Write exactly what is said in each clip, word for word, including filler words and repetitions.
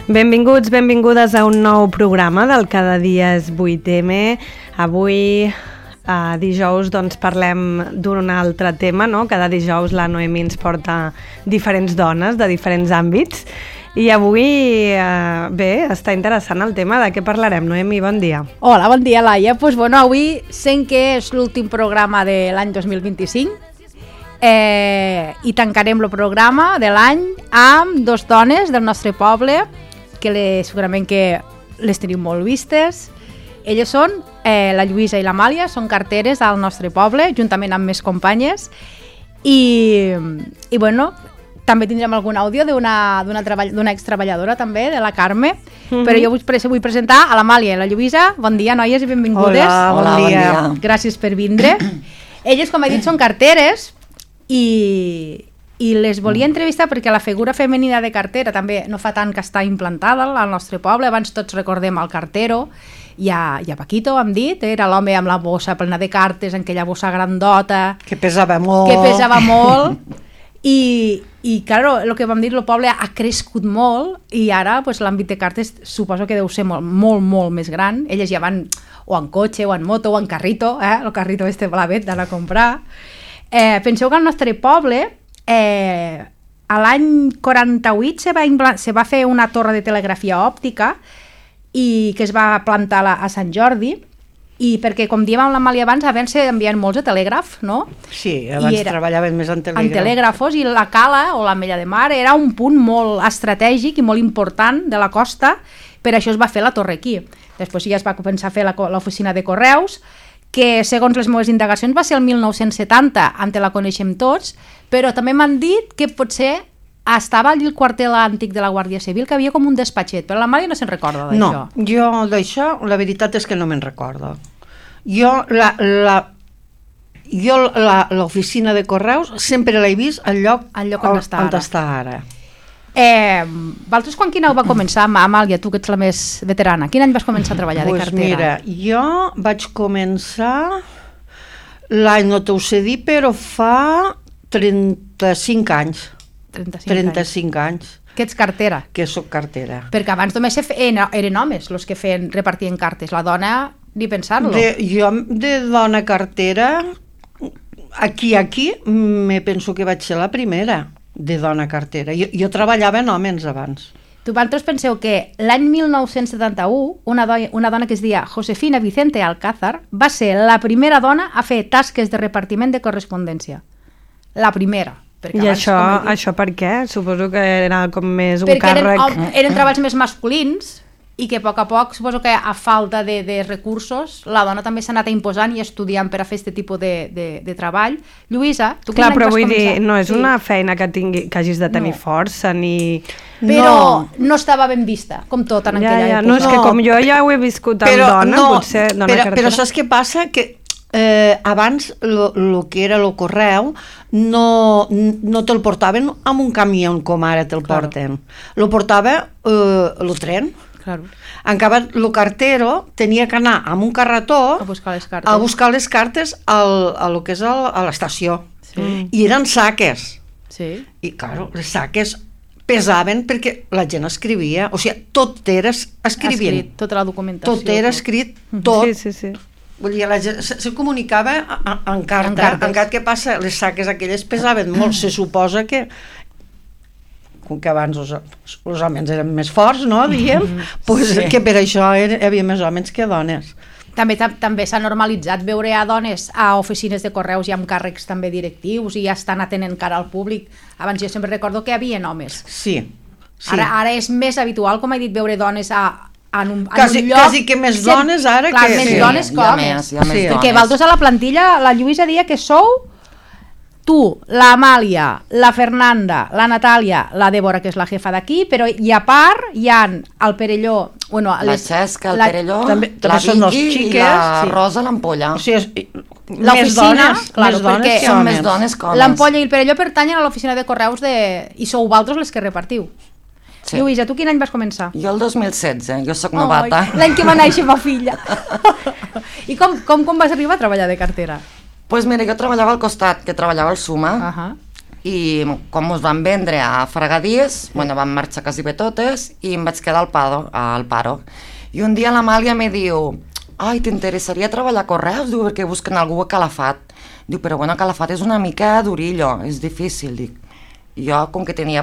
Benvinguts, benvingudes a un nou programa del Cada dia és vuit eme. Avui, a dijous, doncs parlem d'un altre tema, no? Cada dijous la Noemi ens porta diferents dones de diferents àmbits. I avui, eh, bé, està interessant el tema. De què parlarem, Noemi? Bon dia. Hola, bon dia, Laia. Pues, bueno, avui, sent que és l'últim programa de l'any dos mil vint-i-cinc, eh, i tancarem el programa de l'any amb dos dones del nostre poble, que les, segurament que les teniu molt vistes. Elles són eh, la Lluïsa i l'Amàlia, són carteres al nostre poble, juntament amb més companyes. I, i bueno, també tindrem algun àudio d'una d'una ex-treballadora també, de la Carme, mm-hmm. però jo vull, vull presentar a l'Amàlia i la Lluïsa. Bon dia, noies, i benvingudes. Hola, bon, Hola, dia. bon dia. Gràcies per vindre. Elles, com he dit, són carteres i, i les volia entrevistar perquè la figura femenina de cartera també no fa tant que està implantada al nostre poble. Abans tots recordem el cartero i a, i a Paquito, hem dit, era l'home amb la bossa plena de cartes, en aquella bossa grandota, que pesava molt, que pesava molt. I, i claro, el que vam dir, el poble ha crescut molt i ara pues, l'àmbit de cartes suposo que deu ser molt, molt, molt més gran. Elles ja van o en cotxe, o en moto, o en carrito, eh? El carrito este blavet d'anar a comprar. Eh, penseu que al nostre poble eh, a l'any quaranta-vuit se va, se va fer una torre de telegrafia òptica i que es va plantar a, a Sant Jordi, i perquè, com diem amb l'Amàlia abans, abans s'envien molts a telègraf, no? Sí, abans treballaven més en telègraf. En telègrafos, i la cala o l'Ametlla de Mar era un punt molt estratègic i molt important de la costa, per això es va fer la torre aquí. Després ja es va començar a fer l'oficina de correus, que segons les meves indagacions va ser el mil nou-cents setanta, on la coneixem tots, però també m'han dit que potser estava allí el quartel antic de la Guàrdia Civil, que havia com un despatxet, però la Mària no se'n recorda d'això. No, jo d'això, la veritat és que no me'n recordo. Jo, la, la, jo la, l'oficina de correus sempre l'he vist al lloc, al lloc on, està, on ara. està ara. Eh, Valtros, quan quin any va començar, Amàlia, tu que ets la més veterana, quin any vas començar a treballar pues de cartera? Mira, jo vaig començar, l'any no t'ho sé dir, però fa trenta-cinc anys. trenta-cinc, trenta-cinc anys. anys. Que ets cartera? Que soc cartera. Perquè abans només eren, eren homes els que feien, repartien cartes. La dona, ni pensar-lo. De, jo de dona cartera, aquí, aquí, me penso que vaig ser la primera de dona cartera. Jo, jo treballava en homes abans. Tu, vosaltres penseu que l'any mil nou-cents setanta-u una, dona, una dona que es deia Josefina Vicente Alcázar va ser la primera dona a fer tasques de repartiment de correspondència. La primera. I abans, això, dit, això per què? Suposo que era com més un perquè càrrec... Eren, eren treballs més masculins i que a poc a poc, suposo que a falta de, de recursos, la dona també s'ha anat imposant i estudiant per a fer aquest tipus de, de, de treball. Lluïsa, tu Clar, però vull començar? dir, no és sí. una feina que, tingui, que hagis de tenir no. força, ni... Però no. no estava ben vista, com tot en ja, aquella ja, època. No, és que com jo ja ho he viscut amb però, dona, no, potser dona però, cartera... Però saps què passa? Que Eh, abans el que era el correu no, no te'l portaven amb un camió com ara te'l claro. porten, lo portava el eh, tren, claro. En canvi el cartero tenia que anar amb un carretó a buscar les cartes, a buscar les cartes al, a lo que és el, a l'estació, sí. I eren saques, sí. I claro, les saques pesaven perquè la gent escrivia, o sigui, tot era escrivint, escrit, tota la documentació, tot era escrit, tot. Sí, sí, sí. Vull dir, la gent se, se comunicava en carta, en cartes. En carta, què passa? Les saques aquelles pesaven molt, se suposa que com que abans els, els homes eren més forts, no, diguem, pues sí. Que per això hi havia més homes que dones. També, també s'ha normalitzat veure a dones a oficines de correus i amb càrrecs també directius i ja estan atenent cara al públic. Abans jo sempre recordo que hi havia homes. Sí. sí. Ara, ara és més habitual, com he dit, veure dones a En un, quasi, en un lloc, quasi que més dones ara clar, que... més sí, dones que homes. Hi ha més, hi ha sí. més Perquè dones. vosaltres a la plantilla, la Lluïsa dia que sou tu, l'Amàlia, la Fernanda, la Natàlia, la Débora, que és la jefa d'aquí, però i a part hi ha el Perelló... Bueno, la les, Xesca, el la, Perelló, també, també la Vicky i la sí. Rosa l'Ampolla. O sigui, l'oficina, claro, més dones perquè són més dones que homes. L'Ampolla i el Perelló pertanyen a l'oficina de correus de... i sou vosaltres les que repartiu. Sí. Lluïsa, tu quin any vas començar? Jo el dos mil setze, jo sóc novata. Oh, l'any que va néixer ma filla. I com, com, com vas arribar a treballar de cartera? Doncs pues mira, jo treballava al costat, que treballava al Suma, uh -huh. i com us van vendre a Fregadís, bueno, van marxar quasi bé totes i em vaig quedar al paro, al paro. I un dia l'Amàlia me diu, ai, t'interessaria treballar a Correus? Diu, perquè busquen algú a Calafat. Diu, però bueno, Calafat és una mica durillo, és difícil, dic. I jo, com que tenia,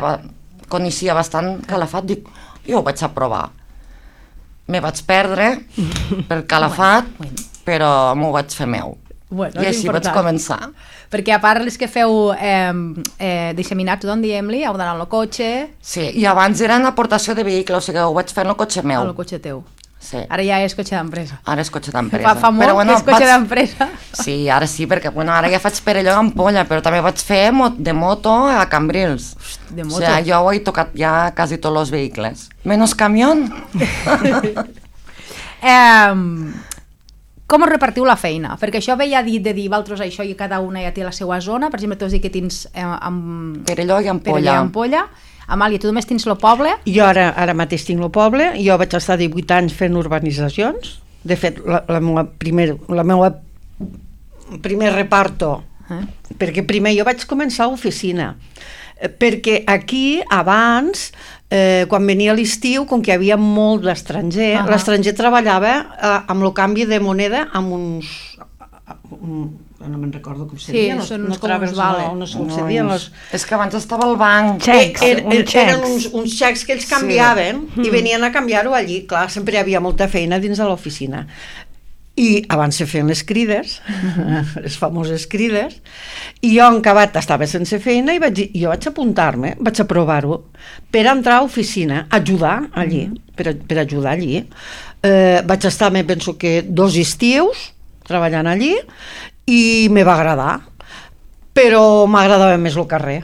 coneixia bastant Calafat, dic, jo ho vaig a provar. Me vaig perdre per Calafat, bueno, bueno. Però m'ho vaig fer meu. Bueno, I així vaig començar. Perquè a part els que feu eh, eh, disseminats, d'on diem-li, heu d'anar al cotxe... Sí, i abans era en aportació de vehicle, o sigui, ho vaig fer en el cotxe meu. Al cotxe teu. Sí. Ara ja és cotxe d'empresa. Ara és cotxe d'empresa. Fa, fa molt però, bueno, que és cotxe vaig... d'empresa. Sí, ara sí, perquè bueno, ara ja faig Perelló i Ampolla, però també vaig fer de moto a Cambrils. De moto? O sigui, jo ho he tocat ja quasi tots els vehicles. Menos camión. eh, com us repartiu la feina? Perquè això veia dit de dir, vosaltres això i cada una ja té la seva zona. Per exemple, tu has dit que tens eh, amb... Perelló i Ampolla. Perelló i Ampolla. Amàlia, tu només tens el poble? Jo ara, ara mateix tinc el poble, jo vaig estar divuit anys fent urbanitzacions, de fet la, la meva primer, la meva primer reparto, eh? Perquè primer jo vaig començar a oficina, perquè aquí abans, eh, quan venia l'estiu, com que hi havia molt d'estranger, uh-huh. l'estranger treballava eh, amb el canvi de moneda amb uns... Um, no me'n recordo com se sí, deia, no, són no, traves, vale. no, no sé com no, se deia los... és que abans estava al banc xecs, er, er, un eren uns, uns xecs que ells canviaven sí. i venien a canviar-ho allí, clar, sempre hi havia molta feina dins de l'oficina i abans se feien les crides les famoses crides i jo en acabat estava sense feina i vaig dir, jo vaig apuntar-me, vaig a provar-ho per entrar a oficina, ajudar allí, mm-hmm. per, per ajudar allí eh, vaig estar, me penso que dos estius treballant allí i me va agradar, però m'agradava més el carrer.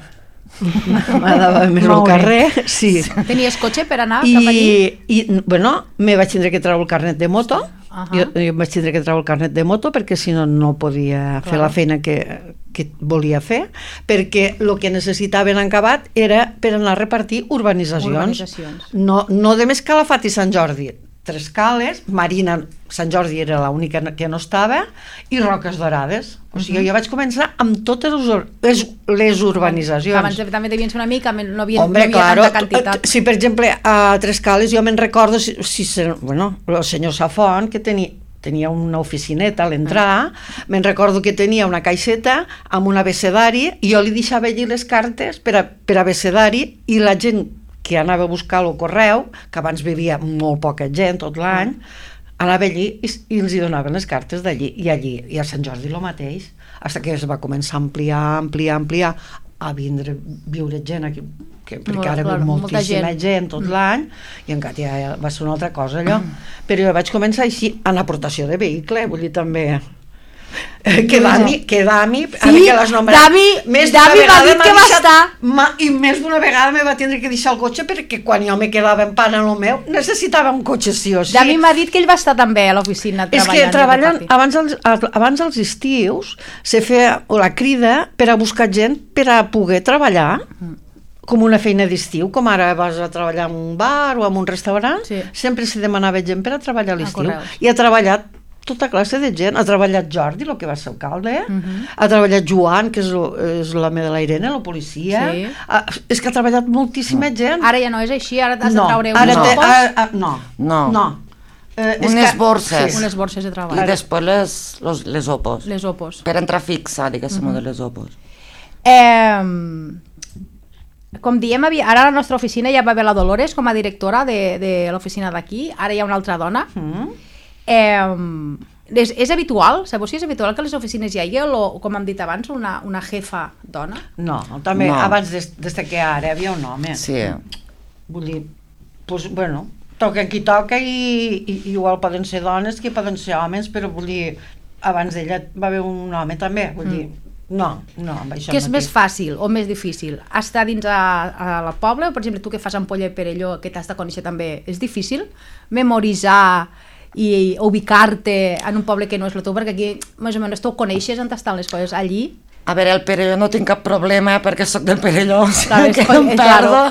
M'agradava més el carrer, sí. Tenies cotxe per anar I, cap allí? I, bueno, me vaig tindre que treure el carnet de moto, uh-huh. jo, jo vaig tindre que treure el carnet de moto perquè si no, no podia Clar. fer la feina que, que volia fer, perquè el que necessitaven en acabat era per anar a repartir urbanitzacions. urbanitzacions. No, no de més Calafat i Sant Jordi, Tres Cales, Marina, Sant Jordi era l'única que no estava, i Roques Dorades. O sigui, uh-huh. jo vaig començar amb totes les, les urbanitzacions. Abans també devien ser una mica, no havia, Hombre, no havia claro, tanta quantitat. Si, per exemple, a Tres Cales jo me'n recordo, si, si, bueno, el senyor Safont, que tenia, tenia una oficineta a l'entrar, uh-huh. me'n recordo que tenia una caixeta amb un abecedari, i jo li deixava allí les cartes per, a, per abecedari, i la gent que anava a buscar el correu, que abans vivia molt poca gent tot l'any, anava allí i, i els hi donaven les cartes d'allí, i allí, i a Sant Jordi el mateix, fins que es va començar a ampliar, ampliar, ampliar, a vindre, viure gent aquí, que, perquè Molt, ara clar, viu moltíssima gent. gent tot mm. l'any, i encara ja va ser una altra cosa allò, mm. però jo vaig començar així, en aportació de vehicle, vull dir també... que Dami, que Dami, sí, ara que l'has nombrat, Dami, més Dami m'ha dit que va estar ma, i més d'una vegada me va tindre que deixar el cotxe perquè quan jo me quedava en pan en el meu necessitava un cotxe sí o sí. Dami m'ha dit que ell va estar també a l'oficina treballant. És que treballant, abans els, abans els estius se feia la crida per a buscar gent per a poder treballar com una feina d'estiu, com ara vas a treballar en un bar o en un restaurant, sí. sempre se demanava gent per a treballar a l'estiu, i ha treballat tota classe de gent. Ha treballat Jordi, el que va ser alcalde, uh-huh. ha treballat Joan, que és, és l'home de la Irene, la policia, sí. ha, és que ha treballat moltíssima gent. Ara ja no és així, ara has no, de traure uns no. opos? Ara, a, no, no. no. Eh, unes borses. Sí. Unes borses de treball. I després les, les, les opos. Les opos. Per entrar fixa, diguéssim, uh-huh. de les opos. Eh, com diem, ara a la nostra oficina ja va haver la Dolores com a directora de, de l'oficina d'aquí, ara hi ha una altra dona. Uh-huh. Eh, és, és habitual, sabeu si és habitual que a les oficines hi hagi, o, com hem dit abans, una, una jefa dona? No, també no. abans des, des que ara hi havia un home. Sí. Vull dir, pues, bueno, toca qui toca i, i igual poden ser dones que poden ser homes, però vull dir, abans d'ella va haver un home també, vull mm. dir, no, no, amb això Què és mateix. més fàcil o més difícil? Estar dins a, a la poble, o per exemple tu que fas Ampolla i Perelló, que t'has de conèixer també, és difícil memoritzar i ubicar-te en un poble que no és el teu, perquè aquí més o menys tu coneixes on estan les coses allí. A veure, el Perelló no tinc cap problema perquè sóc del Perelló, o sigui claro, que em perdo,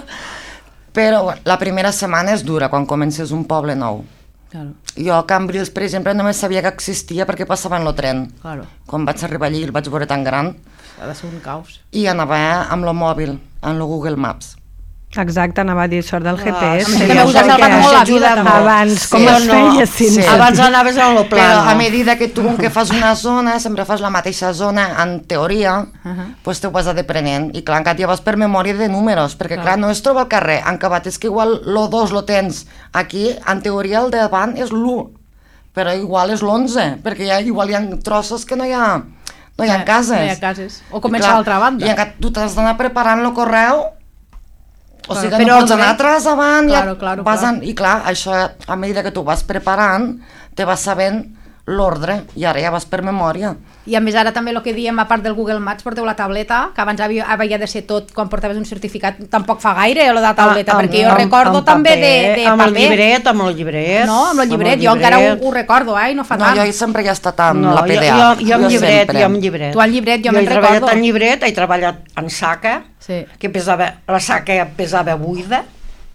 però la primera setmana és dura quan comences un poble nou. Claro. Jo a Cambrils, per exemple, només sabia que existia perquè passava en el tren. Claro. Quan vaig arribar allí el vaig veure tan gran. Ha de ser un caos. I anava amb el mòbil, en el Google Maps. Exacte, anava a dir sort del G P S. Ah, sí, també us ha salvat molt la vida, també. Abans, com Sí, es no, feia sense... sí. Abans anaves a lo Però plano. a medida que tu que fas una zona, sempre fas la mateixa zona, en teoria, Uh-huh. pues te ho vas deprenent. I clar, encara ja vas per memòria de números, perquè clar, no es troba al carrer, en acabat és que igual lo dos lo tens aquí, en teoria el de davant és l'u, però igual és l'onze, perquè ja, igual hi ha trossos que no hi ha, no hi ha cases. No hi ha cases. O comença a l'altra banda. I encara tu t'has d'anar preparant el correu. O sigui que Però no pots el anar correu- atrás, avant, Claro, ja claro, vas claro. en- i clar, això a mesura que tu vas preparant, te vas sabent l'ordre, i ara ja vas per memòria. I a més ara també el que diem, a part del Google Maps, porteu la tableta, que abans havia, havia de ser tot quan portaves un certificat, tampoc fa gaire, lo de la tableta, Ah, perquè jo amb- recordo amb també paper, de, de amb paper. el llibret, amb el llibret. No, amb el llibret, jo encara ho, ho recordo, eh, i no fa No, tant. jo sempre he estat amb No, la P D A. Jo, jo, jo amb llibret, sempre. jo amb llibret. Tu amb llibret, jo jo me'n he treballat recordo. en llibret, he treballat en saca, Sí. que pesava, la saca pesava buida,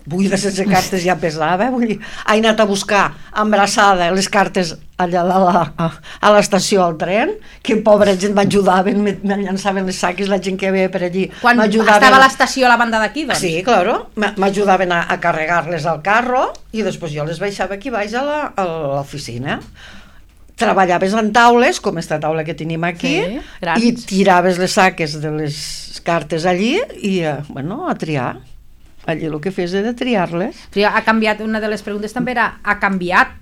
buida sense cartes ja pesava, vull dir, he anat a buscar embrassada les cartes allà a la- a, a l'estació al tren, que pobra gent m'ajudaven, me, me llançaven les saques, la gent que ve per allí Quan m'ajudaven. estava a l'estació a la banda d'aquí, doncs? Sí, claro, m- m'ajudaven a, a carregar-les al carro i després jo les baixava aquí baix a la- a l'oficina. Treballaves en taules, com esta taula que tenim aquí, Sí, grans. i tiraves les saques de les cartes allí i, eh, bueno, a triar. Allí el que fes era triar-les. Però ha canviat, una de les preguntes també era, ha canviat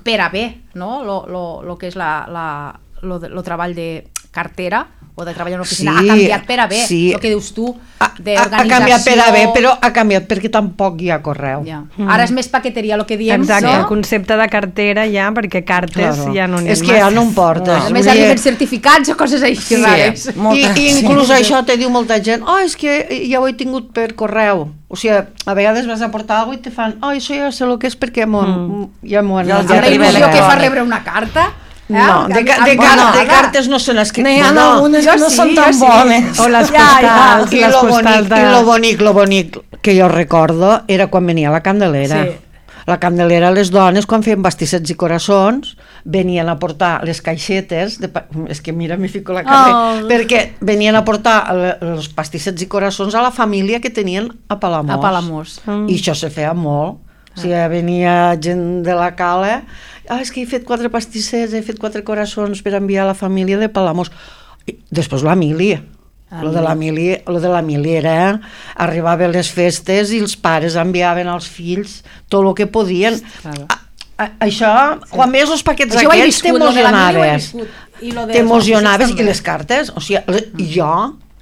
per a bé, no?, lo, lo, lo que és la, la, lo, de, lo treball de cartera o de treballar en una oficina, Sí, ha canviat per a bé, sí. el que dius tu, Ha, ha, d'organització. ha canviat per a bé, però ha canviat perquè tampoc hi ha correu. Ja. Ara és més paqueteria, el que diem, Exacte, no? el concepte de cartera ja, perquè cartes Claro. ja no n'hi ha És que ja no em portes. A més, Vull dir- arriben certificats o coses així Sí, rares. I, Molta- i inclús sí. això te diu molta gent, oh, és que ja ho he tingut per correu. O sigui, a vegades vas a portar alguna cosa i te fan, oh, això ja sé el que és perquè mm. ja m'ho han Ja els Amb la arriba il·lusió que fa electrònic. rebre una carta. Eh? No, de, ca- de, Bueno, car de ara. cartes no se n'escriu. N'hi ha no. algunes jo que no sí, són jo tan sí. bones. O les Ja, ja. postals, I les lo, postals bonic, de... I lo bonic, lo bonic que jo recordo era quan venia la Candelera. Sí. La Candelera, les dones, quan feien bastissets i coraçons, venien a portar les caixetes, de pa... és que mira, m'hi fico la carrer, Oh. perquè venien a portar le- els pastissets i coraçons a la família que tenien a Palamós. A Palamós. Mm. I això se feia molt. O sigui, venia gent de la Cala, ah, és que he fet quatre pastissets, he fet quatre coraçons per enviar a la família de Palamós. I després la mili. Ah, Lo de la mili, lo de la mili era, arribaven les festes i els pares enviaven als fills tot el que podien. Claro. A, a, això, quan veies els paquets Això ho he aquests, viscut, lo de la mili ho he t'emocionaves. viscut. I lo de T'emocionaves els i les cartes, o sigui, le- jo,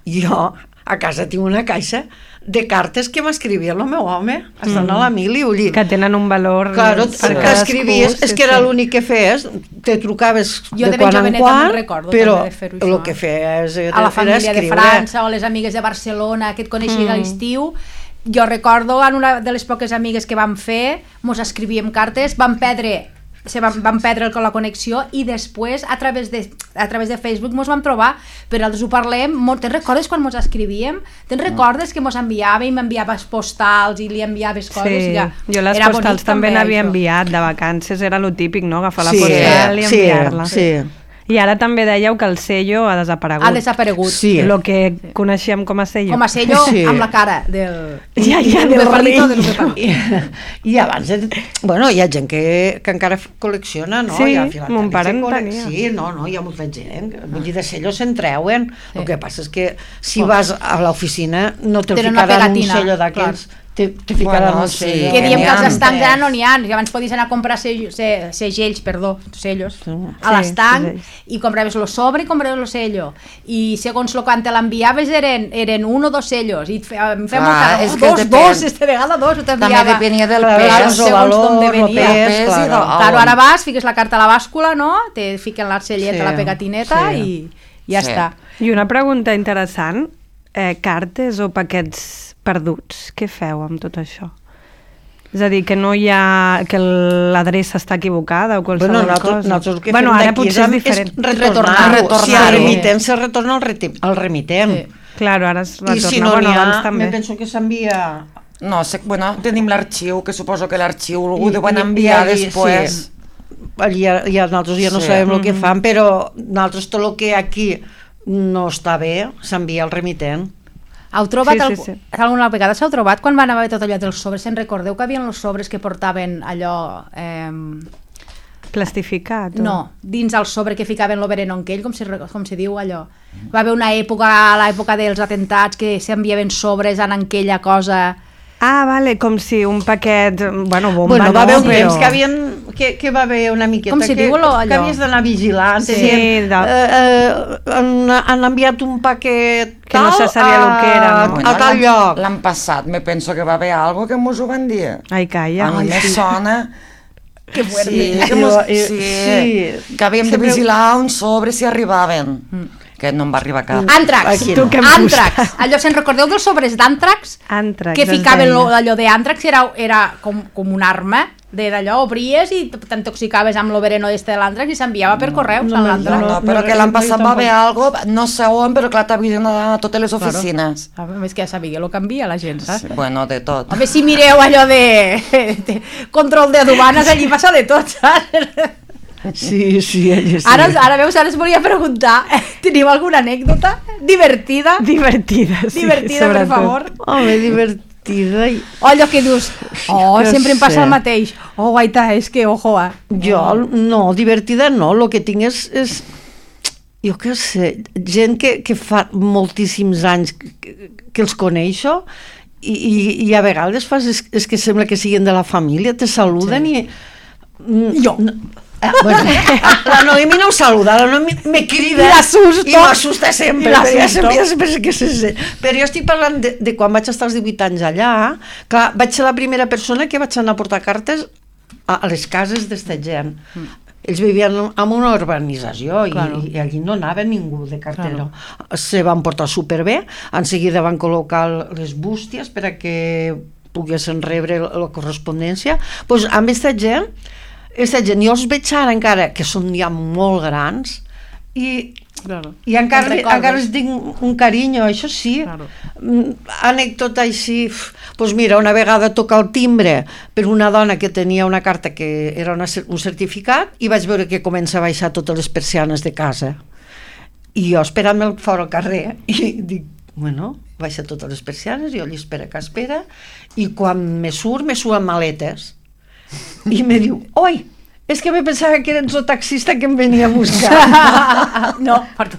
jo a casa tinc una caixa de cartes que m'escrivia el meu home, estan Mm. a la mili, vull dir, que tenen un valor claro, per cadascú, t'escrivies, és sí, que era sí. l'únic que feies, te trucaves Jo de de ben quan en joveneta quan, me'n recordo però també de fer-ho, el això. que feies era, a la era família de escriure. França o les amigues de Barcelona que et coneixien Mm. a l'estiu. Jo recordo en una de les poques amigues que vam fer, mos escrivíem cartes, vam perdre se vam, vam perdre el- la connexió i després a través de, a través de Facebook mos vam trobar, però nosaltres ho parlem molt. Te'n recordes quan mos escrivíem? Te'n recordes que mos enviava i m'enviaves postals i li enviaves coses? Sí, Ja. jo les Era postals bonic també n'havia això. enviat de vacances, era lo típic, no? Agafar la Sí, postal i sí, enviar-la. sí. I ara també dèieu que el sello ha desaparegut. Ha desaparegut. Sí. Lo que coneixíem com a sello. Com a sello Sí. amb la cara del... Ja, ja, del del palito, rei. del palito. I, I abans, eh, bueno, hi ha gent que, que encara col·lecciona, no? Sí, Hi ha filatelis mon pare que en col·le- tenia. Sí, no, no, hi ha molta gent. Vull dir, de sellos se'n treuen. Sí. El que passa és que si Oh. vas a l'oficina no te'l Tenen una ficaran un pegatina, sello d'aquells, te, te ficaran Bueno, un sí, sello. Que diem n'hi que els ha, estancs eh? ara no n'hi ha, que abans podies anar a comprar sellos, se, segells, perdó, sellos, a Sí, l'estanc, segells. i compraves lo sobre i compraves lo sello, i segons lo quan te l'enviaves eren, eren un o dos sellos, i et feia, em feia Clar, molta... és Oh, que dos, depèn. dos, esta vegada dos, ho També t'enviava. depenia del Claro, pes. el segons valor, d'on el venia. pes, Pes i claro. de- Claro, ara vas, fiques la carta a la bàscula, no? Te fiquen l'arcellet Sí, a la pegatineta sí. i ja Sí. està. I una pregunta interessant, eh, cartes o paquets perduts, què feu amb tot això? És a dir, que no hi ha... que l'adreça està equivocada o qualsevol Bueno, nosaltres, cosa. nosaltres el que bueno, fem ara d'aquí potser és és, diferent. és retornar-ho. Retornar-ho. Si el remitem, se retorna el, reti- el remitem. Sí. Claro, ara es retorna. I si no bueno, n'hi abans ha, també. me penso que s'envia No, sé, bueno, tenim l'arxiu, que suposo que l'arxiu ho deuen enviar I, i, després. Sí. Allí ja, ja nosaltres ja no sí. sabem el que fan, però nosaltres tot el que aquí no està bé s'envia al remitent. Heu trobat, Sí, sí, sí, sí, sí. sí. alguna vegada s'heu trobat quan van haver tot allò dels sobres? Se'n recordeu que havien els sobres que portaven allò... Eh, Plastificat? O... no, dins el sobre que ficaven l'overeno en aquell, com si, com si diu allò. Va haver una època, a l'època dels atentats, que s'enviaven sobres en aquella cosa... Ah, vale, com si un paquet... Bueno, bomba, Bueno, va no, haver un però... temps que, havien, que, que va haver una miqueta Com si que, diu allò? que havies d'anar vigilant. Sí, Tenien, de- eh, eh, han, han enviat un paquet Que no se sabia a, lo que era, no? a tal l'any- lloc. L'any passat me penso que va haver algo que mos ho van dir. Ai, calla. A mi me sona... Que fuerte. Sí, que, I- mos, i- sí, sí. que havíem de Sempre- vigilar un sobre si arribaven. Que no em va arribar cap. Àntrax, Aquí Tu no. què em àntrax. Allò, se'n recordeu dels sobres d'àntrax? Àntrax, Que es ficaven deia. lo, allò d'àntrax, era, era com, com un arma de d'allò, obries i t'intoxicaves amb l'overeno este de l'àntrax i s'enviava per correus no, amb no, l'àntrax. No, no, no, però no, que l'any no, passat jo va haver tampoc. algo, no sé on, però clar, t'havien a totes les oficines. A més que ja sabia el que envia la gent, saps? Sí, bueno, de tot. Home, si mireu allò de, de control de aduanes, allí passa de tot, saps? Sí, sí, ella sí. Ara, ara veus, ara us volia preguntar, teniu alguna anècdota divertida? Divertida, sí, divertida, per sobretot. favor. Home, divertida. I... O allò que dius, oh, No sempre em passa sé. el mateix. Oh, guaita, és que, ojo, eh. Jo, no, divertida no, el que tinc és, és jo què sé, gent que, que fa moltíssims anys que, que els coneixo i, i, i a vegades fas, és, és que sembla que siguin de la família, te saluden sí. i... Jo. No, ah, bueno, la Noemi no em saluda, la Noemi me crida I l'assusto. i m'assusta sempre, I però ja l'assusto. sempre, ja sempre sé que se sent. Però jo estic parlant de, de quan vaig estar als divuit anys allà, clar, vaig ser la primera persona que vaig anar a portar cartes a, a les cases d'esta gent. Mm. Ells vivien en una urbanització i, Claro. i allí no anava ningú de cartero. Claro. Se van portar superbé, en seguida van col·locar les bústies per a que poguessin rebre la, la correspondència. Pues, amb aquesta gent, aquesta gent, jo els veig ara encara, que són ja molt grans, i, Claro. i encara, Te'n recordes? encara els tinc un carinyo, això sí. Claro. Mm, anècdota així, doncs pues mira, una vegada toca el timbre per una dona que tenia una carta que era una, un certificat i vaig veure que comença a baixar totes les persianes de casa. I jo esperant-me fora al carrer i dic, bueno, baixa totes les persianes, jo allí espera que espera, i quan me surt, me surt amb maletes. I me diu, oi, és que me pensava que eres el taxista que em venia a buscar. No, perdó.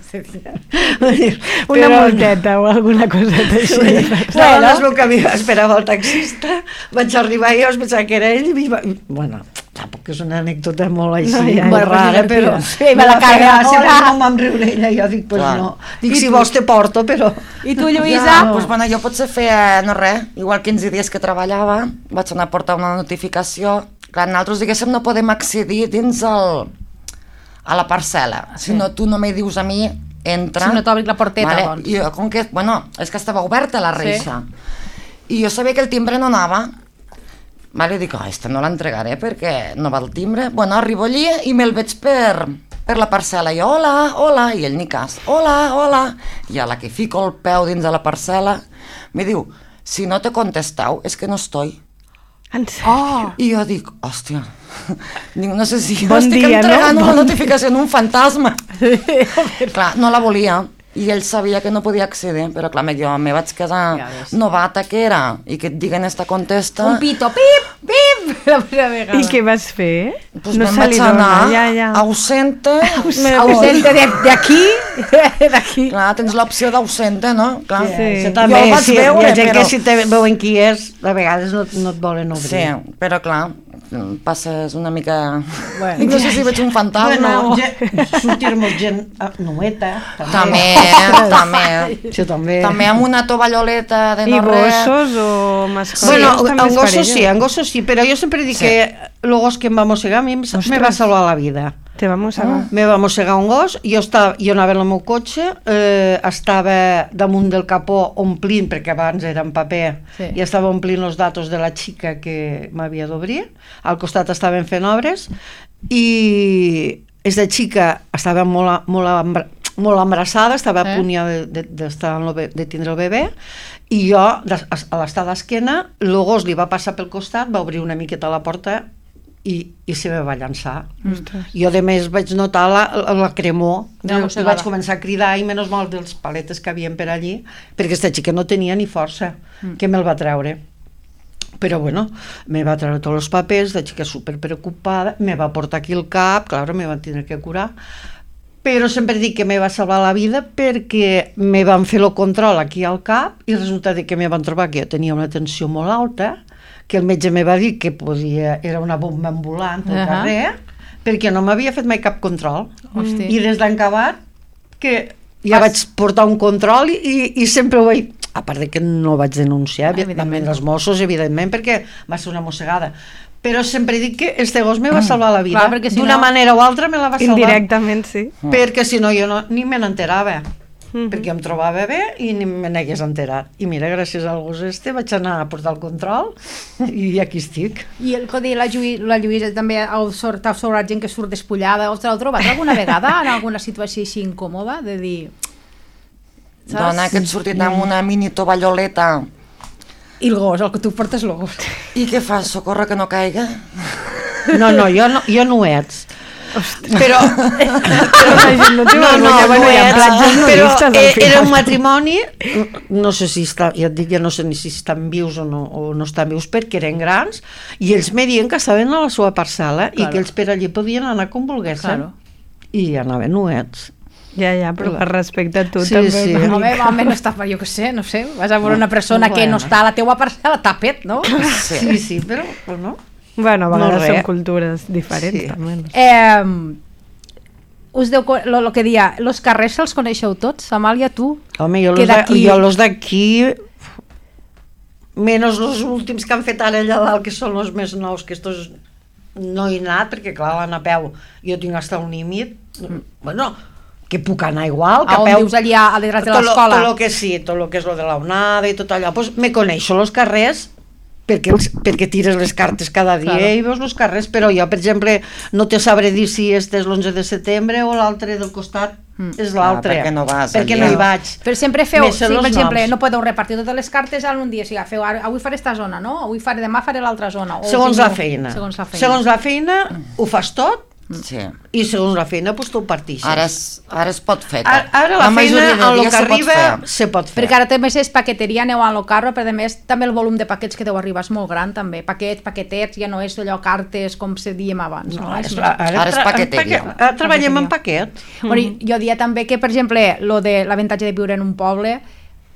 Una multeta o alguna coseta així. Bueno, es veu que mi esperava el taxista, vaig arribar i jo es pensava que era ell i va... Bueno, tampoc és una anècdota molt així, No, ja, molt ja, rara, divertida. però Sí, me la va fer carga, gràcia, hola. perquè no em vam riure ella, jo dic, pues Clar. no. Dic, I si tu? vols te porto, però... I tu, Lluïsa? Ja, doncs, bueno, jo potser feia, no res, igual quinze dies que treballava, vaig anar a portar una notificació. Clar, nosaltres, diguéssim, no podem accedir dins el, a la parcel·la. Si no, tu no me dius a mi, entra. Si no t'obris la porteta, doncs. I jo, com que, bueno, és que estava oberta la reixa. Sí. I jo sabia que el timbre no anava. Vale, dic, oh, esta no l'entregaré perquè no va el timbre. Bueno, arribo allí i me'l veig per, per la parcel·la. I jo, hola, hola, i ell ni cas. Hola, hola. I a la que fico el peu dins de la parcel·la, me diu, si no te contestau, és que no estoy. En sèrio? Oh, I jo dic, hòstia, dic, no sé si jo Bon estic dia, entregant no? una Bon notificació en un fantasma. Clar, no la volia. I ell sabia que no podia accedir, però clar, jo me vaig quedar Ja ves. novata que era, i que et diguen esta contesta... un pito, pip, pip, la primera vegada. I què vas fer? Pues no me'n se vaig li anar dona, ja, ja. ausente, me Ausente de- d'aquí, d'aquí. Clar, tens l'opció d'ausente, no? Clar. Sí. Això també, Jo el vaig sí, veure, hi ha gent però... que si te veuen qui és, a vegades no, no et volen obrir. Sí, però clar, passes una mica... Bueno. no sé si veig un fantasma Bueno, o... gent, sortir-nos gent ah, nueta, També, també. Això també. També amb una tovalloleta de I no res. gossos o mascotes? Bueno, també en és gossos perillós. sí, en gossos sí, però jo sempre dic Sí. que el gos que em va mossegar a mi em- me va salvar la vida. Te va mossegar. Me va mossegar un gos, jo, estava, jo anava en el meu cotxe, eh, estava damunt del capó omplint, perquè abans era en paper, Sí. i estava omplint els datos de la xica que m'havia d'obrir, al costat estaven fent obres, i aquesta xica estava molt, molt, embra, molt embarassada, estava Eh? a punt ja de, de, de, de tindre el bebè, I jo, a l'estar d'esquena, el gos li va passar pel costat, va obrir una miqueta la porta i, i se me va llançar. Mm. Jo, a més, vaig notar la, la cremor, no, i vaig començar a cridar, i menys mal dels paletes que havien per allí, perquè aquesta xica no tenia ni força, mm. que me'l va treure. Però bueno, me va treure tots els papers, la xica super preocupada, me va portar aquí el cap, clar, me van tindre que curar, però sempre dic que me va salvar la vida perquè me van fer el control aquí al cap i resulta que me van trobar que jo tenia una tensió molt alta, que el metge me va dir que podia, era una bomba ambulant al uh-huh. carrer, perquè no m'havia fet mai cap control. Hosti. I des d'encabat que ja Pas... vaig portar un control i, i sempre ho vaig... A part de que no vaig denunciar, evidentment, els Mossos, evidentment, perquè va ser una mossegada. Però sempre dic que este gos me va salvar la vida. Si d'una no... manera o altra me la va salvar. Indirectament, sí. Perquè si no jo no, ni me n'enterava. Mm-hmm. Perquè em trobava bé i ni me n'hagués enterat. I mira, gràcies al gos este vaig anar a portar el control i aquí estic. I el codi, la, Lluï, la Lluïsa també ha sobrat gent que surt despullada. Us l'heu trobat alguna vegada en alguna situació així incòmoda? De dir... Saps? Dona, que et sortit amb una mini tovalloleta. I el gos, el que tu portes el gos. I què fas? Socorre que no caiga? No, no, jo no, jo no ho ets. Ostres. Però, però la gent no té no, no, no, no ets, però eh, era un matrimoni, no sé si està, ja et dic, ja no sé ni si estan vius o no, o no estan vius perquè eren grans, i ells me diuen que estaven a la seva parcel·la claro. I que ells per allí podien anar com volguessin. Claro. I anaven nuets. Ja, ja, però per respecte a tu sí, també. Sí. No, home, home, no està, jo què sé, no sé, vas a veure una persona no, que no està a la teua parcel·la, tapet, no? Sí, sí, sí però, però no. Bueno, a vegades no són cultures diferents, sí. També. No? Eh, us deu, lo, lo que dia, los carrers els coneixeu tots? Amàlia, tu? Home, jo los d'aquí, menys els últims que han fet ara allà dalt, que són els més nous, que estos no he anat, perquè clar, van a peu, jo tinc hasta un límit, mm. bueno, que puc anar igual, que a, a peu... dius allà a darrere de l'escola? Tot el que sí, tot el que és lo de la onada i tot allò, pues me coneixo els carrers perquè, els, perquè tires les cartes cada dia claro. I veus els carrers, però jo, per exemple, no te sabré dir si este és l'onze de setembre o l'altre del costat mm. és l'altre, ah, perquè no vas perquè no hi vaig. Però sempre feu, sí, per exemple, noms. No podeu repartir totes les cartes en un dia, o sigui, feu, avui faré esta zona, no? Avui faré, demà faré l'altra zona. O segons, si la no, feina. segons la feina. Segons la feina, mm. ho fas tot, sí. I segons la feina pues, tu ho partixes. Ara es, ara es pot fer. Ara, ara la, la feina en el que arriba se pot fer. Perquè ara també és paqueteria, aneu a lo carro, però a més també el volum de paquets que deu arribar és molt gran també. Paquets, paquetets, ja no és allò cartes com se diem abans. No, no? Ara, és, ara, ara, ara és paqueteria. Ara, ara treballem en paquet. Bueno, jo diria també que, per exemple, lo de l'avantatge de viure en un poble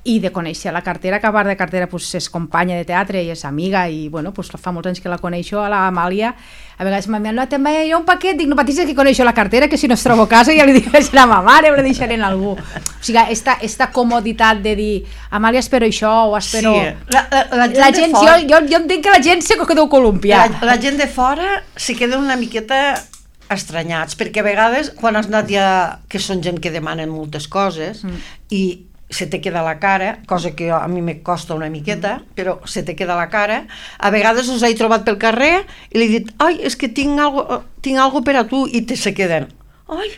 i de conèixer la cartera, que a part de cartera pues, és companya de teatre i és amiga i bueno, pues, fa molts anys que la coneixo, a la Amàlia a vegades m'ha dit, no, també hi ha un paquet dic, no patis que coneixo la cartera, que si no es trobo a casa ja li deixaré a ma mare o li deixaré a algú o sigui, esta, esta comoditat de dir Amàlia espero això o espero sí. la, la, la gent, la gent fora... jo, jo, jo entenc que la gent se que deu columpiar la, la gent de fora se queda una miqueta estranyats, perquè a vegades quan has anat ja, que són gent que demanen moltes coses mm. i se te queda la cara, cosa que a mi me costa una miqueta, però se te queda la cara. A vegades us he trobat pel carrer i li he dit, ai, és que tinc algo, tinc algo per a tu, i te se queden, ai,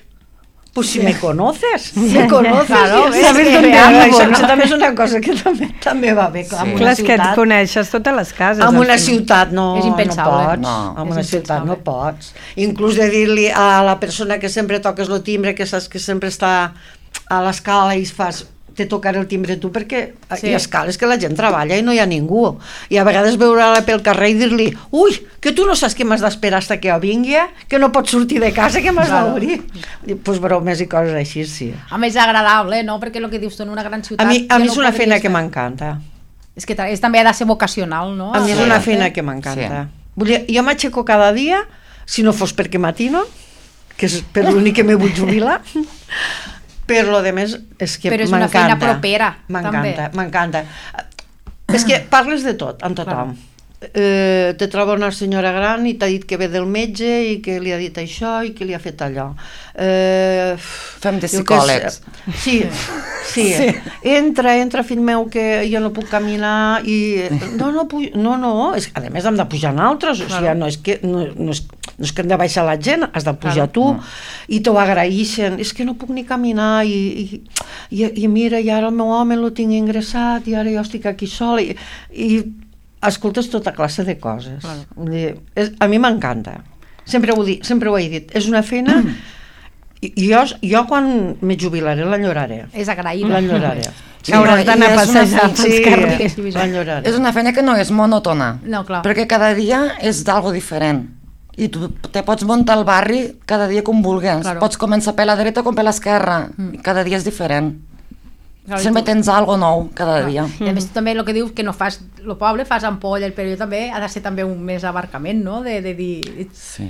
pues si sí. me conoces, me conoces, claro, sí, sabes dónde ando, això, no? Això també és una cosa que també, també va bé, clar, sí. Clar, és que et coneixes totes les cases. En una ciutat no, és impensable. no pots, no. en una ciutat no pots. Inclús de dir-li a la persona que sempre toques el timbre, que saps que sempre està a l'escala i fas te tocaré el timbre tu perquè sí. Hi ha escales que la gent treballa i no hi ha ningú i a vegades veure-la pel carrer i dir-li ui, que tu no saps que m'has d'esperar fins que jo vingui, que no pots sortir de casa, que m'has claro. D'obrir doncs pues bromes i coses així, sí. A més agradable, no? Perquè el que dius tu en una gran ciutat a mi, a mi ja és no una feina fer. Que m'encanta és que és, també ha de ser vocacional, no? A mi és sí. una feina que m'encanta sí. Vull dir, jo m'aixeco cada dia si no fos perquè matino que és per l'únic que me vull jubilar per lo de més és que m'encanta. Però és una feina propera, m'encanta, m'encanta. És que parles de tot, amb tothom. Eh, te troba una senyora gran i t'ha dit que ve del metge i que li ha dit això i que li ha fet allò. Eh, Fem de psicòlegs. Sí, sí, sí. Entra, entra, fill meu, que jo no puc caminar i... No, no, no, no, és que a més hem de pujar en altres, o sigui, no és que... No, no és... no és que hem de baixar la gent, has de pujar tu, i t'ho agraeixen, és que no puc ni caminar, i, i, i, i mira, i ara el meu home lo tinc ingressat, i ara jo estic aquí sola, i, i escoltes tota classe de coses. Vull dir, és, a mi m'encanta. Sempre ho, dic, sempre ho he dit. És una feina... I jo, jo quan me jubilaré l'enyoraré. És agraït. L'enyoraré. Sí, hauràs d'anar a passejar pels sí, carrers. L'enyoraré. És una feina que no és monòtona. No, clar. Perquè cada dia és d'algo diferent. I tu te pots muntar al barri cada dia com vulguis. Claro. Pots començar per la dreta com per l'esquerra. Mm. Cada dia és diferent. Claro, Sempre tu... tens algo nou cada dia. I a més també el que dius que no fas el poble, fas ampolla, però jo també ha de ser també un més abarcament, no? De, de dir... Sí.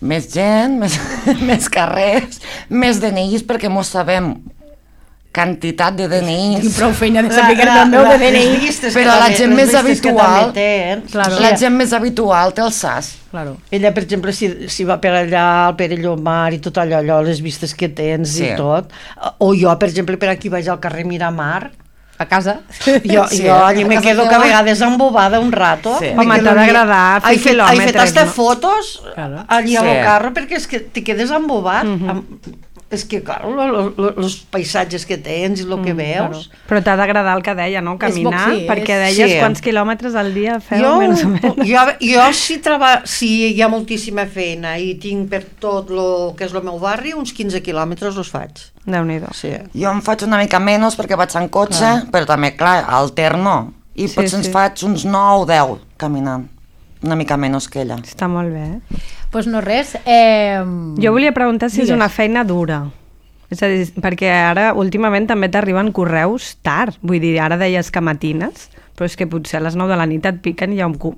Més gent, més, més carrers, més D N Is, perquè mos sabem quantitat de D N Is. Tinc prou feina de saber que el meu D N I. Però la gent més habitual, Claro. la gent més habitual té el S A S. Claro. Ella, per exemple, si, si va per allà al Pere Llomar i tot allò, allò, les vistes que tens Sí. i tot, o jo, per exemple, per aquí vaig al carrer Miramar, A casa. jo, Sí, jo allí a me casa quedo teva. que a vegades embobada un rato. Sí. Me Home, quedo t'ha allí. d'agradar fer He fet- quilòmetres, He fet hasta no? fotos Claro. allí al Sí. carro perquè és que te quedes embobat. Amb- és que, clar, els paisatges que tens i el que veus... Però t'ha d'agradar el que deia, no? Caminar, bo- sí, perquè és- deies sí. quants quilòmetres al dia feu, Jo, més o menys. jo, jo si, treba, si hi ha moltíssima feina i tinc per tot lo que és el meu barri, uns quinze quilòmetres els faig. Déu-n'hi-do. Sí. Jo em faig una mica menys perquè vaig en cotxe, però també, clar, alterno. I Sí, potser sí. ens faig uns nou o deu caminant. Una mica menys que ella. Està molt bé. Eh? Pues no res. Eh... Jo volia preguntar si és Digues. una feina dura. És a dir, perquè ara últimament també t'arriben correus tard. Vull dir, ara deies que matines, però és que potser a les nou de la nit et piquen i hi ha un, cu-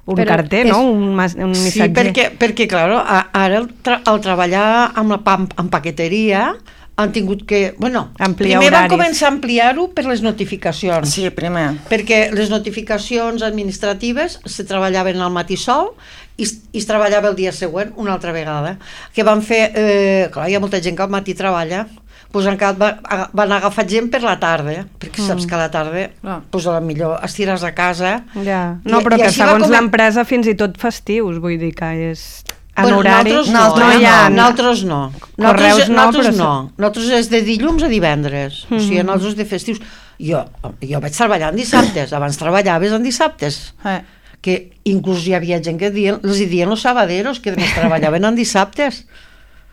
un Però carter, és- no? Un, mas- un Sí, missatger. perquè, perquè clar, a- ara el, tra el treballar amb la pam amb paqueteria han tingut que... Bueno, Ampliar primer van horaris. començar a ampliar-ho per les notificacions. Sí, primer. Perquè les notificacions administratives se treballaven al matí sol i, es- i es treballava el dia següent una altra vegada. Que van fer... Eh, clar, hi ha molta gent que al matí treballa, doncs encara va, a- van agafar gent per la tarda, perquè Mm. saps que a la tarda Ah. doncs a la millor estires a casa. Ja. No, I- però i que així va segons com- l'empresa fins i tot festius, vull dir que és... En Bueno, horari... nosaltres no, no hi ha... nosaltres no. Correus Nosaltres, no, nosaltres però no. Nosaltres és de dilluns a divendres. O sigui, nosaltres de festius. Jo, jo vaig treballar en dissabtes. Abans treballaves en dissabtes. Eh. Que inclús hi havia gent que dien, els hi dien los sabaderos, que més treballaven en dissabtes.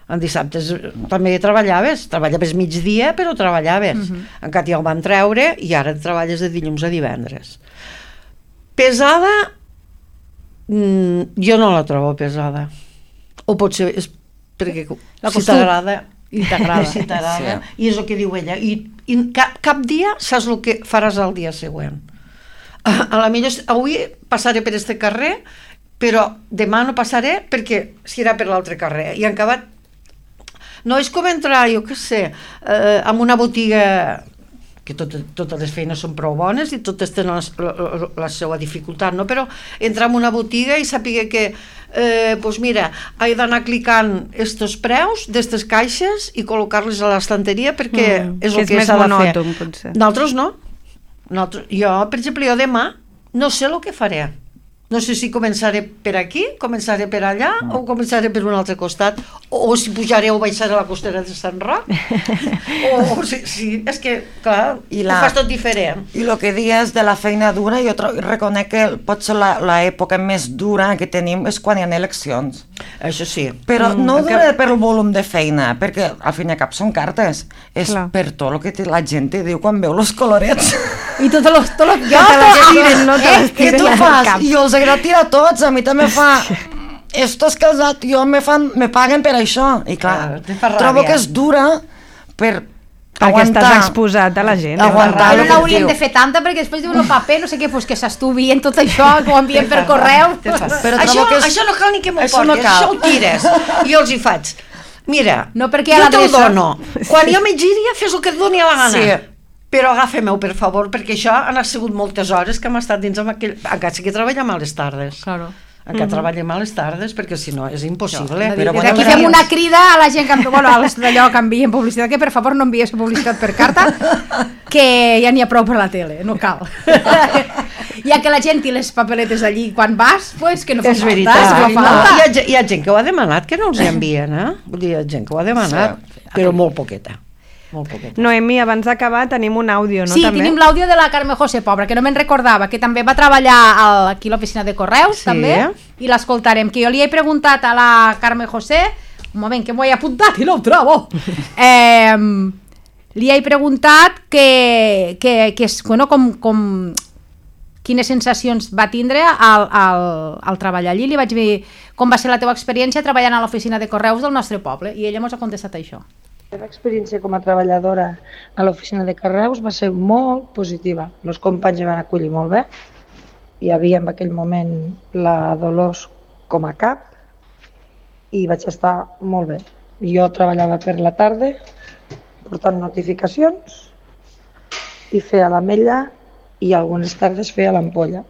En dissabtes també treballaves. Treballaves migdia, però treballaves. Uh -huh. Encara ja ho van treure i ara treballes de dilluns a divendres. Pesada... Mm, jo no la trobo pesada. O potser és perquè La si costum. t'agrada I t'agrada. si t'agrada, Sí. i és el que diu ella, i, i cap, cap dia saps el que faràs el dia següent. A, a la millor avui passaré per este carrer, però demà no passaré perquè serà per l'altre carrer, i en acabat no és com entrar, jo què sé, eh, en una botiga que tot, totes les feines són prou bones i totes tenen la, la, la seva dificultat, no? Però entrar en una botiga i sàpiga que eh, pues mira, he d'anar clicant estos preus d'estes caixes i col·locar-les a l'estanteria perquè Mm, és que el és que més s'ha de fer. monòton, potser. Nosaltres no. Nosaltres, jo, per exemple, jo demà no sé el que faré. No sé si començaré per aquí, començaré per allà o començaré per un altre costat, o, o si pujaré o baixaré a la costera de Sant Roc. o, o si, si, és que, clar, I la... la- ho fas tot diferent. I el que dius de la feina dura, jo tro- reconec que potser l'època més dura que tenim és quan hi ha eleccions. Això sí. Però Mm, no que- dura per el volum de feina, perquè al fin i al cap són cartes. És Clar. per tot el que te- la gent te diu quan veu els colorets. I tot los, tot los, Que te les tiren, no te les Què tiren tu al fas? cap. I els agrada tirar tots, a mi també fa... Estos casats, jo me, fan, me paguen per això. I clar, Ah, te fa trobo ràbia. que és dura per Perquè aguantar. estàs exposat a la gent. eh? Aguantar Però el no que hauríem diu. de fer tanta perquè després diuen el paper, no sé què, pues que s'estuvien tot això, que ho envien per correu. Te fas. Però això, trobo que és- això no cal ni que m'ho això portis, no cal. això ho tires. Jo els hi faig. Mira, No, perquè a jo te'l l'adreça- dono. Quan jo me giri, fes el que et doni a la gana. Sí. Però agafa-m'ho, per favor, perquè això han sigut moltes hores que hem estat dins amb aquell... Encara sí que treballem a les tardes. Claro. Encara treballem a les tardes, perquè si no és impossible. Però Però bueno, bueno, aquí però- fem una crida a la gent que, bueno, als d'allò que envien publicitat, que per favor no envies publicitat per carta, que ja n'hi ha prou per la tele, no cal. Ja que la gent i les papeletes allí quan vas, pues que no fa És falta. veritat. No fa No, falta. hi, ha, ge- hi ha gent que ho ha demanat que no els hi envien, eh? Vull dir, hi ha gent que ho ha demanat, Sí. però molt poqueta. Molt poqueta. Noemi, abans d'acabar tenim un àudio, no? Sí, també? tenim l'àudio de la Carme José Pobra, que no me'n recordava, que també va treballar al, aquí a l'oficina de correus, Sí. també, i l'escoltarem. Que jo li he preguntat a la Carme José, un moment que m'ho he apuntat i no ho trobo, eh, li he preguntat que, que, que és, bueno, com, com, quines sensacions va tindre al, al, al treballar allí. Li vaig dir com va ser la teva experiència treballant a l'oficina de correus del nostre poble, i ella mos ha contestat això. La meva experiència com a treballadora a l'oficina de correus va ser molt positiva. Els companys em van acollir molt bé. Hi havia en aquell moment la Dolors com a cap i vaig estar molt bé. Jo treballava per la tarda, portant notificacions i feia l'ametlla i algunes tardes feia l'ampolla.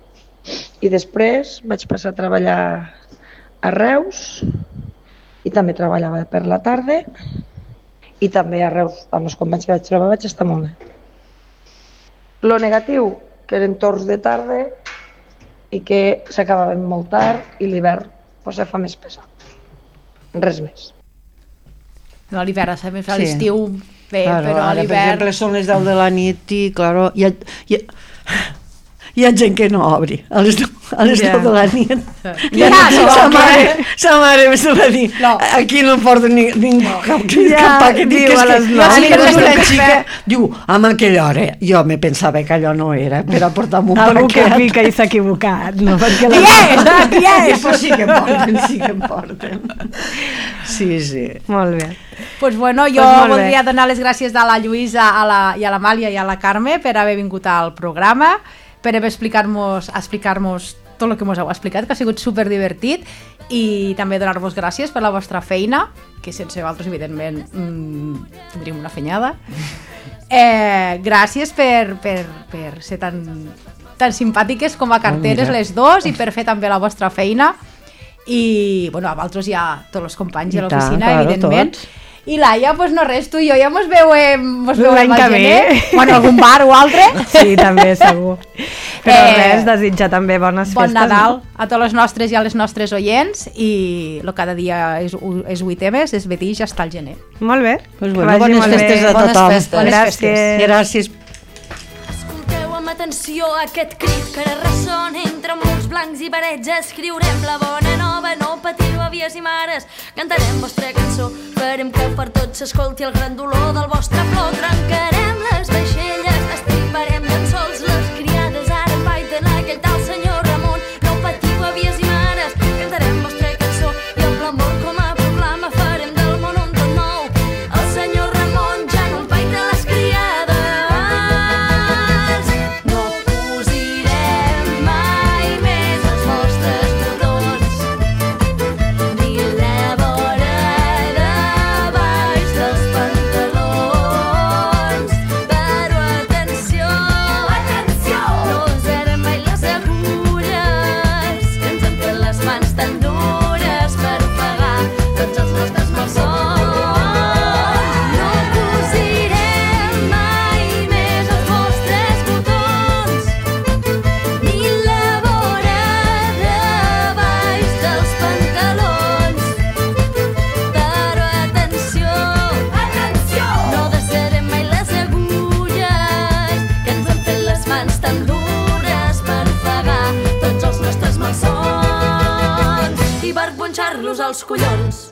I després vaig passar a treballar a Reus i també treballava per la tarda i també a Reus, amb els companys que vaig trobar, vaig estar molt bé. Lo negatiu, que eren torns de tarda i que s'acabaven molt tard i l'hivern pues, se fa més pesat. Res més. No, l'hivern, a més, a Sí. l'estiu bé, Claro, però a ara, per l'hivern... exemple, són les deu de la nit i, claro, hi ha, hi ha, hi ha gent que no obri a les, a les Ja. deu de la nit. Ja, no, sa no, mare, sa mare me va dir, No. aquí no porta ni, ningú cap, Ja, cap paquet. diu que és a que- les jo nou. sí que Sí, és una sí. xica, diu, amb aquella hora, jo me pensava que allò no era per aportar un Algú que paquet. pica i s'ha equivocat, no? Perquè la... Qui és? Ah, qui I és? pues sí que em porten, sí que em porten. Sí, sí. Molt bé. Pues bueno, jo Pues molt bé. voldria donar les gràcies a la Lluïsa, a la, i a l'Amàlia i a la Carme per haver vingut al programa, per haver explicar-nos explicar tot el que ens heu explicat, que ha sigut superdivertit, i també donar-vos gràcies per la vostra feina, que sense vosaltres, evidentment, mmm, tindríem una fenyada. Eh, gràcies per, per, per ser tan, tan simpàtiques com a carteres mira. les dos i per fer també la vostra feina. I, bueno, a vosaltres hi ha tots els companys I de tant, l'oficina, claro, evidentment. tots. I Laia, pues no res, tu i jo ja mos veurem, mos veurem L'any al que ve. gener, bueno, algun bar o altre. Sí, també, segur. Però Eh, res, desitjar també bones Bon festes. Nadal No? a tots els nostres i a les nostres oients, i lo cada dia és, és vuit temes, és vetí, ja està al gener. Molt bé. Pues Que bueno, vagi bones molt bé. festes a Bones tothom. festes. Bones Gràcies. Gràcies. Escolteu amb atenció aquest crit que ara ressona entre murs blancs i parets. Escriurem la bona nova, no patiu, àvies i mares. Cantarem vostra cançó, farem que per tots s'escolti el gran dolor del vostre plor. Trencarem les vaixelles, estriparem llençols. Les criades ara empaiten aquell tal senyor Ramon. No patiu, àvies i mares, cantarem vostra cançó i el l'amor com a proclama farem del món un tot nou. El senyor Ramon ja no empaita les criades. No cosirem mai més els vostres botons, ni la vora de baix dels pantalons. Però atenció, atenció, no usarem mai les agulles que ens han fet les mans tan dures per pagar tots els nostres malsons. No cosirem mai més els vostres botons, ni la vora de baix dels pantalons. Però atenció, atenció, no desarem mai les agulles que ens han fet les mans tan dures per pagar tots els nostres malsons i per punxar-los als collons.